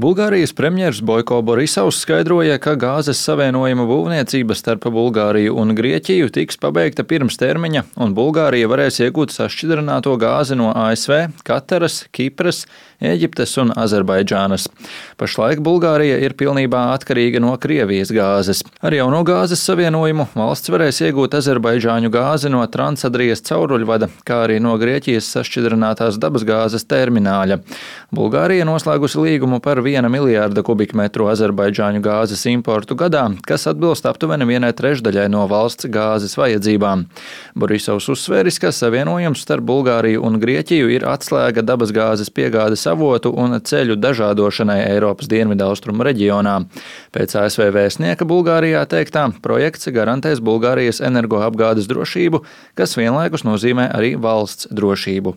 Bulgārijas premjers Boiko Borisovs skaidroja, ka gāzes savienojuma būvniecība starp Bulgāriju un Grieķiju tiks pabeigta pirms termiņa, un Bulgārija varēs iegūt sašķidrināto gāzi no ASV, Kataras, Kipras, Ēģiptes un Azerbaidžānas. Pašlaik Bulgārija ir pilnībā atkarīga no Krievijas gāzes. Ar jauno gāzes savienojumu valsts varēs iegūt azerbaidžāņu gāzi no Transadrijas cauruļvada, kā arī no Grieķijas sašķidrinātās dabasgāzes termināļa. Bulgārija noslēgusi līgumu par 1 miljārda kubikmetru azerbaidžāņu gāzes importu gadā, kas atbilst aptuveni 1/3 no valsts gāzes vajadzībām. Borisovs uzsvēris, ka savienojums starp Bulgāriju un Grieķiju ir atslēga dabasgāzes piegādes avotu un ceļu dažādošanai Eiropas dienvidaustrumu reģionā. Pēc ASV vēstnieka Bulgārijā teiktā, projekts garantēs Bulgārijas energoapgādes drošību, kas vienlaikus nozīmē arī valsts drošību.